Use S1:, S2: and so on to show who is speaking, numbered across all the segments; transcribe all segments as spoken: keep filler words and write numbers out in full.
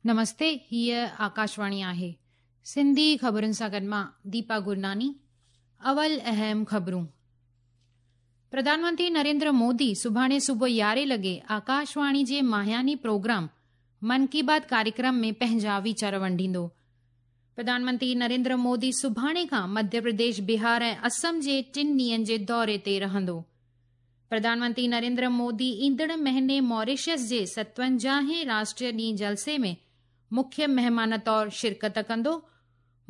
S1: نمستي، هيءَ آڪاشواڻي آهي. سنڌي خبرن سان گڏ مان ديپا گرناني. اول اهم خبرون. پرڌان منتري نريندر مودي سڀاڻي صبح يارهين لڳي آڪاشواڻي جي ماهياني پروگرام من ڪي بات ڪاريڪرم ۾ پنهنجا ويچار ونڊيندو. پرڌان منتري نريندر مودي سڀاڻي کان مڌيه پرديش، بهار ۽ اسم جي ٽن ڏينهن جي دوري تي رهندو. پرڌان منتري نريندر مودي ايندڙ مهيني ماريشس جي ستونجاهين راشٽريه ڏينهن جلسي ۾ مکيه مهمان طور شرڪت ڪندو.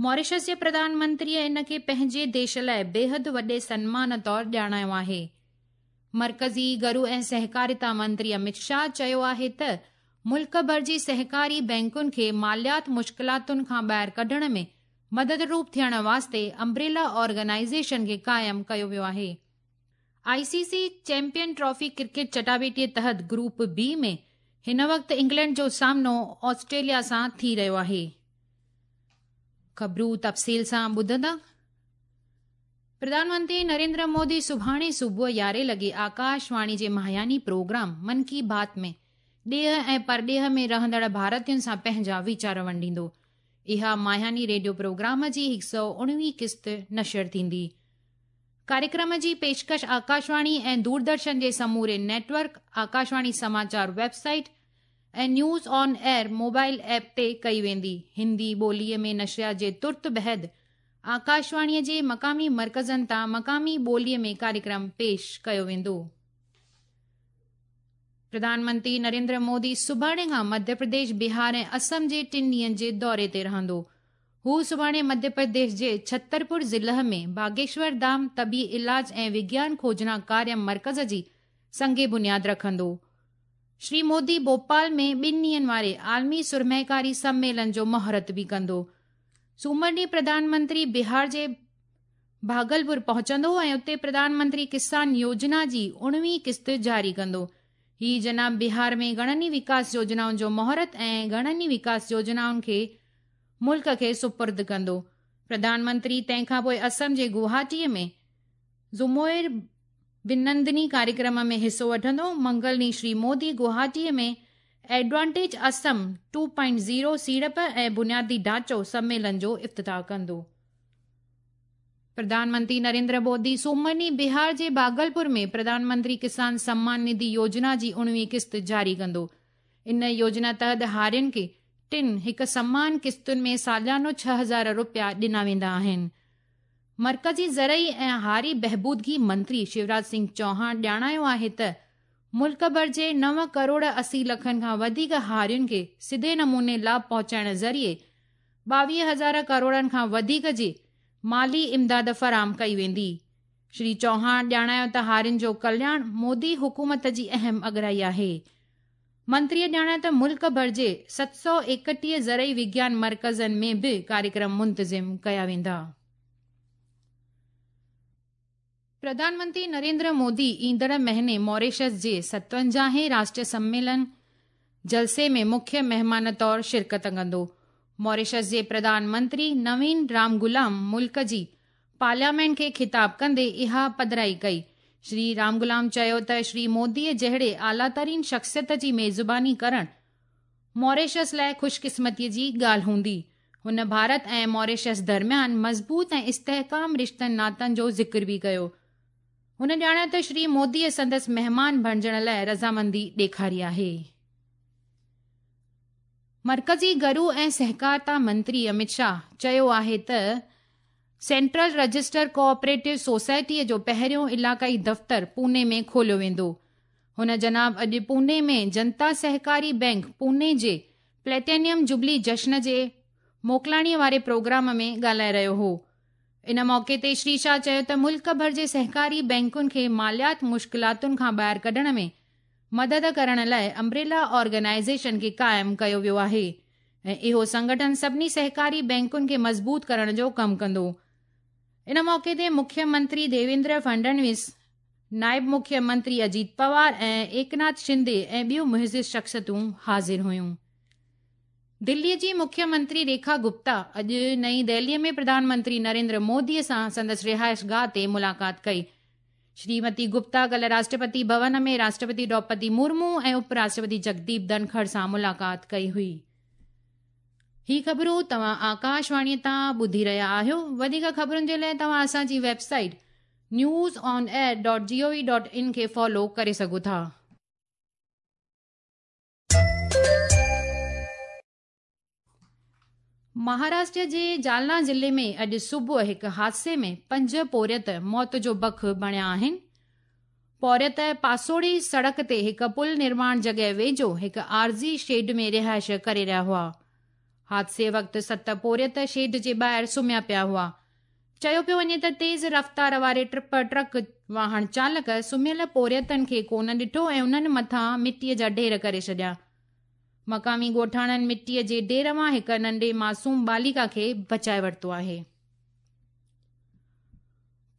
S1: ماريشس جي پرڌان منتريءَ ان کي پنهنجي ديش لاءِ بيحد وڏي سنمان طور ڄاڻايو آهي. مرڪزي گهرو ۽ سهڪاريتا منتري امت شاهه چيو آهي ته ملڪ ڀر جي سهڪاري بينڪن کي ماليات مشڪلاتن کان ٻاهر ڪڍڻ ۾ مدد روپ ٿيڻ واسطي امبريلا آرگنائيزيشن کي قائم ڪيو ويو آهي. I C C champion trophy cricket چٽاڀيٽيءَ تحت گروپ بي ۾ هن وقت انگلينڊ جو سامنو آسٽريليا سان ٿي رهيو آهي. خبرون تفصيل سان ٻڌندا. پرڌان منتري نريندر مودي سڀاڻي صبح يارهين لڳي آڪاشواڻي جي ماهياني پروگرام من ڪي بات ۾ ڏيهه ۽ پرڏيهه ۾ رهندڙ ڀارتين سان پنهنجا ويچار ونڊيندو. اها ماهياني ريڊيو پروگرام جي هڪ سؤ اڻويهه قسط نشر ٿيندي. ڪاريڪرم جي پيشڪش آڪاشواڻي ۽ دوردرشن جي سموري net work, Akashvani Samachar web site ۽ news on air mobile app تي ڪئي ويندي. هندي ٻوليءَ ۾ نشريات جي ترت بعد آڪاشواڻيءَ جي مقامي مرڪزن تان مقامي ٻوليءَ ۾ ڪاريڪرم پيش ڪيو ويندو. پرڌان منتري نريندر مودي سڀاڻي کان مڌيه پرديش، بهار ۽ اسم جي ٽن ڏينهن جي دوري تي رهندو. هو سڀاڻي مڌيه پرديش جي ڇترپور ضلع ۾ باگيشور ڌام طبي علاج ۽ وگيان کوجنا ڪاريه مرڪز جي سنگ بنياد رکندو. شري مودي ڀوپال ۾ ٻن ڏينهن واري عالمي سرمائيڪاري سميلن جو مهورت به ڪندو. سومر ڏينهن پرڌان منتري بهار جي ڀاگلپور پهچندو ۽ اتي پرڌان منتري ڪسان يوجنا جي اڻويهه قسط جاري ڪندو. هي جناب بهار ۾ گهڻن ئي وڪاس يوجنائن جو مهورت ۽ گهڻن ئي وڪاس يوجنائن کي ملڪ کي سپرد ڪندو. پرڌان منتري تنهن کان پوءِ اسم جي گوهاٽيءَ ۾ زموئر بنندني ڪاريڪرم ۾ حصو وٺندو. منگل ڏينهن Shri Modi گوهاٽيءَ ۾ advantage Assam two point zero سيڙپ ۽ بنيادي ڍانچو سميلن جو افتتاح ڪندو. پرڌان منتري نريندر مودي سومر ڏينهن بهار جي ڀاگلپور ۾ پرڌان منتري ڪسان سمان نڌي يوجنا جي اڻويهه قسط جاري ڪندو. ان يوجنا تحت هارين کي ٽن هڪ سمان قسطن ۾ ساليانو ڇهه هزار رپيا ڏنا ويندا آهن. مرڪزي زرعي ۽ هاري بهبودگي منتري شيوراج سنگهه چوهاڻ ڄاڻايو آهي ته ملڪ ڀر جي نو ڪروڙ اسي لکن کان وڌيڪ هارين کي سڌي نموني لاڀ پهچائڻ ذريعي ٻاويهه هزار ڪروڙن کان وڌيڪ جي مالي امداد فراهم ڪئي ويندي. شري چوهاڻ ڄاڻايو ته هارين جو ڪلياڻ مودي حڪومت جي اهم اڳرائي آهي. منتريءَ ڄاڻايو ته ملڪ ڀر جي ست سؤ ايڪٽيهه زرعي وگيان مرڪزن ۾ به ڪاريڪرم منتظم ڪيا ويندا. پرڌان منتري نريندر مودي ايندڙ مهيني ماريشس جي ستونجاهين راشٽريه سميلن جلسي ۾ مکيه مهمان طور شرڪت ڪندو. ماريشس جي پرڌان منتري نوين رامگلام ملڪ جي پارليامينٽ کي خطاب ڪندي اها پڌرائي ڪئي. شري رامگلام چيو ته شري موديءَ جهڙي اعليٰ ترين شخصيت جي ميزباني ڪرڻ ماريشس لاءِ خوشقسمتيءَ جي ڳالهه هوندي. هن ڀارت ۽ ماريشس درميان مضبوط ۽ استحڪام رشتن ناتن جو ذڪر به ڪيو. هن ڄاڻايو ته شري موديءَ سندس مهمان بڻجڻ لاءِ رضامندي ڏيکاري آهي. مرڪزي گهرو ۽ سهڪارتا منتري امت شاهه چيو آهي ته سينٽرل رجسٽر ڪوآپريٽو سوسائٽيءَ جو پهريون علائقائي دفتر پوني ۾ کوليو ويندو. هن جناب اڄ پوني ۾ جنتا سهڪاري بينڪ پوني جي پليٽينيم جوبلي جشن جي موڪلاڻيءَ واري پروگرام ۾ ڳالهائي رهيو هو. ان موقعي تي شري شاهه چيو ته ملڪ ڀر جي سهڪاري بينڪن کي ماليات مشڪلاتن کان ٻاهر ڪڍڻ ۾ مدد ڪرڻ لاءِ امبريلا آرگنائيزيشن کي قائم ڪيو ويو آهي ۽ اهو سنگٺن سڀني سهڪاري بينڪن کي مضبوط ڪرڻ جو ڪم ڪندو. ان موقعي تي مکيه منتري ديويندر فڊنويس، نائب مکيه منتري اجيت پوار ۽ ايڪناٿ شندي ۽ ٻيون معزز شخصيتون حاضر هيون. دليءَ جي مکيه منتري ريکا گپتا اڄ نئين دهليءَ ۾ پرڌان منتري نريندر موديءَ سان سندس رهائش گاهه تي ملاقات ڪئي. شريمتي گپتا ڪالهه راشٽرپتي ڀون ۾ راشٽرپتي دروپدي مرمو ۽ اپ راشٽرپتي جگديپ ڌنکڙ سان ملاقات ڪئي هئي. هي خبرون توهان آڪاشواڻي تان ٻڌي رهيا آهيو. وڌيڪ خبرن جي لاءِ توهان اسان جي website news on air dot G O V dot in کي فالو ڪري سگهو ٿا. مهاراشٽر جي جالنا ضلعي ۾ اڄ صبح هڪ حادثي ۾ پنج پورهيت موت جو بک بڻيا آهن. پورهيت پاسوڙي سڙڪ تي هڪ پل نرماڻ جڳهه ويجهو هڪ عارضي شيڊ ۾ رهائش ڪري رهيا هئا. حادثي وقت ست پورهيت شيڊ جي ٻاهر سمهيا پيا هئا. چيو پيو وڃي ته تيز رفتار واري ٽپر ٽرڪ واهن چالڪ سمهيل پورهيتن کي ڪونه ڏٺو ۽ انهن مٿان مٽيءَ جا ڍير ڪري ڇڏيا. مقامي ڳوٺاڻن مٽيءَ جي ڍير مان هڪ ننڍي معصوم بالڪا کي بچائي ورتو آهي.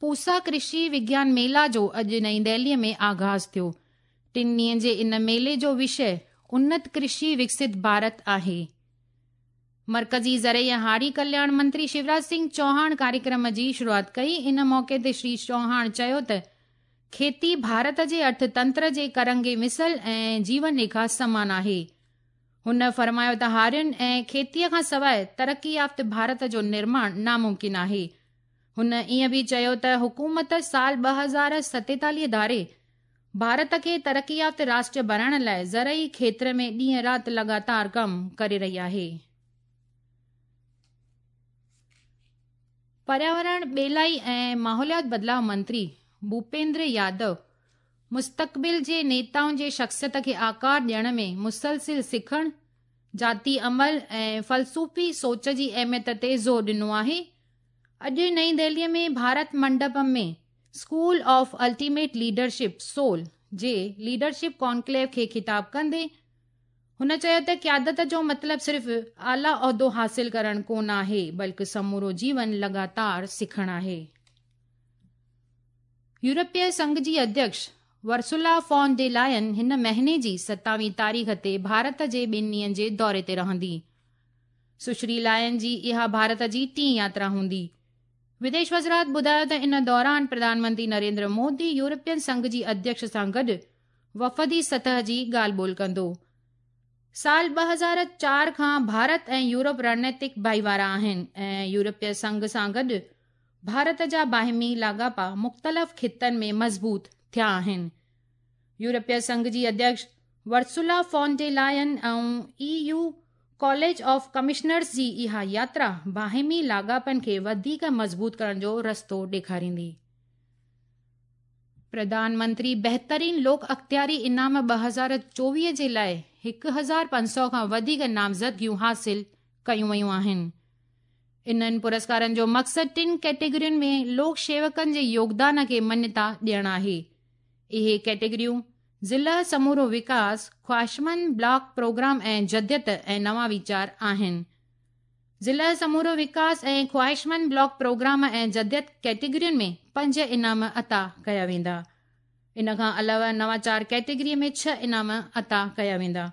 S1: پوسا ڪرشي وگيان ميلا جو اڄ نئين دهليءَ ۾ آغاز ٿيو. ٽن ڏينهن جي ان ميلي جو وشي انت ڪرشي وڪست ڀارت آهي. مرڪزي زرعي ۽ هاري ڪلياڻ منتري شيوراج سنگهه چوهاڻ ڪاريڪرم جي شروعات ڪئي. ان موقعي تي شري چوهاڻ چيو ته کيتي ڀارت جي ارٿتنتر جي ڪرنگهي مثل ۽ جيون ريکا سمان آهي. هن فرمايو ته هارين ۽ کيتيءَ کان سواءِ ترقي يافته ڀارت جو نرماڻ ناممڪن آهي. هن ائين به چيو ته حڪومت سال ٻه هزار ستيتاليهه ڌاري ڀارت کي ترقي يافته راشٽر بڻائڻ لاءِ زرعي کيتر ۾ ڏينهن رات لڳاتار ڪم ڪري رهي آهي. پرياورڻ، ٻيلائي ۽ ماحوليات بدلاءُ منتري ڀوپيندر يادو مستقبل جي نيتائن جي شخصيت کي آڪار ڏيڻ ۾ مسلسل سکڻ، ذاتي عمل ۽ فلسفي سوچ جي اهميت تي زور ڏنو آهي. اڄ نئين دهليءَ ۾ Bharat Mandapam ۾ school of ultimate leadership SOUL جي ليڊرشپ ڪانڪليو کي خطاب ڪندي هن چيو ته قيادت جو مطلب صرف اعليٰ عهدو حاصل ڪرڻ ڪونه آهي، بلڪه سمورو جيون لڳاتار سکڻ آهي. يورپي سنگهه جي اڌيڪش ورسولا فون ڊي لائن هن مهيني جي ستاويهه تاريخ تي ڀارت جي ٻن ڏينهن جي دوري تي رهندي. سشري لائن جي اها ڀارت جي ٽين ياترا هوندي. وديش وزارت ٻڌايو ته ان دوران پرڌان منتري نريندر مودي يورپين سنگهه جي اڌيڪش سان گڏ وفدي سطح جي ڳالهه ٻولهه ڪندو. سال ٻه هزار چار کان ڀارت ۽ يورپ رڻنيتڪ ڀائيوارا آهن ۽ يورپي سنگهه سان گڏ ڀارت جا باهمي لاڳاپا مختلف خطن ۾ مضبوط ٿيا آهن. يورپي سنگهه جي اڌيڪش Ursula von der Leyen ۽ E U college of commissioners جي اها ياترا باهمي لاڳاپن کي وڌيڪ مضبوط ڪرڻ جو رستو ڏيکاريندي. پرڌان منتري بهترين لوڪ اختياري انعام ٻه هزار چوويهه جي لاءِ هڪ هزار پنج سؤ کان وڌيڪ نامزدگيون حاصل ڪيون ويون آهن. انهن پرسڪارن جو مقصد ٽن ڪيٽيگرين ۾ لوڪ شيوڪن جي يوگدان کي مڃتا ڏيڻ آهي. اهي ڪيٽيگريون ضلع سمورو وڪاس، خواهشمند بلاڪ پروگرام ۽ جديت ۽ نوان ويچار آهن. ضلع سمورو وڪاس ۽ خواهشمند بلاڪ پروگرام ۽ جديت ڪيٽيگرين ۾ پنج انعام عطا ڪيا ويندا. ان کان علاوه نواچار ڪيٽيگريءَ ۾ ڇهه انعام عطا ڪيا ويندا.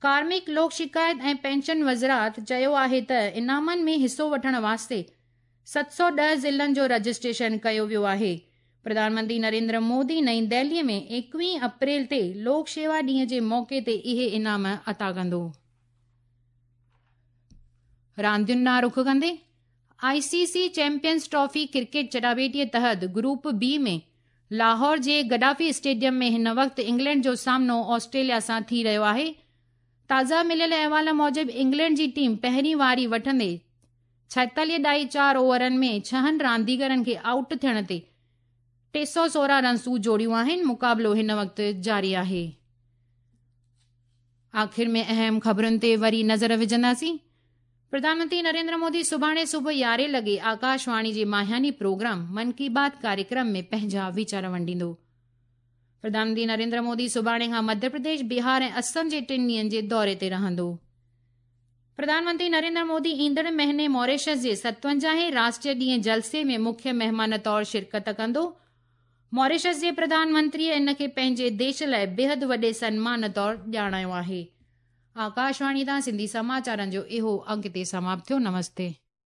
S1: ڪارمڪ، لوڪ شڪايت ۽ پينشن وزارت چيو آهي ته انعامن ۾ حصو وٺڻ واسطي ست سؤ ڏهه ضلعن جو رجسٽريشن ڪيو ويو آهي. پرڌان منتري نريندر مودي نئين دهليءَ ۾ ايڪويهه اپريل تي لوڪ شيوا ڏينهن جي موقعي تي اهي انعام عطا ڪندو. راندين ڏانهن رخ ڪندي I C C champions trophy cricket چٽاڀيٽيءَ تحت گروپ بي ۾ لاهور جي گڊافي اسٽيڊيم ۾ هن وقت انگلينڊ جو سامنو آسٽريليا سان ٿي رهيو آهي. تازا مليل احوال موجب انگلينڊ جي ٽيم پهرين واري وٺندي ڇائيتاليهه ڏهائي چار اوورن ۾ ڇهن رانديگرن کي آئوٽ ٿيڻ تي ٽي سؤ سورهن رنسون جوڙيون آهن. مقابلو هن وقت جاري آهي. آخر ۾ اهم خبرن تي وري نظر وجهنداسين. پرڌان منتري نريندر مودي سڀاڻي صبح يارهين لڳي آڪاشواڻي جي ماهياني پروگرام من ڪي بات ڪاريڪرم ۾ پنهنجا ويچار ونڊيندو. پرڌان منتري نريندر مودي سڀاڻي کان مڌيه پرديش، بهار ۽ آسام جي ٽن ڏينهن جي دوري تي رهندو. پرڌان منتري نريندر مودي ايندڙ مهيني ماريشس جي ستونجاهين راشٽريه ڏينهن جلسي ۾ مکيه مهمان طور شرڪت ڪندو. ماريشس جي پرڌان منتريءَ ان کي پنهنجي ديش لاءِ بيحد وڏي سنمان طور ڄاڻايو آهي. آڪاشواڻي تان سنڌي سماچارن جو اهو انڪ هتي سماپت ٿيو. نمستي.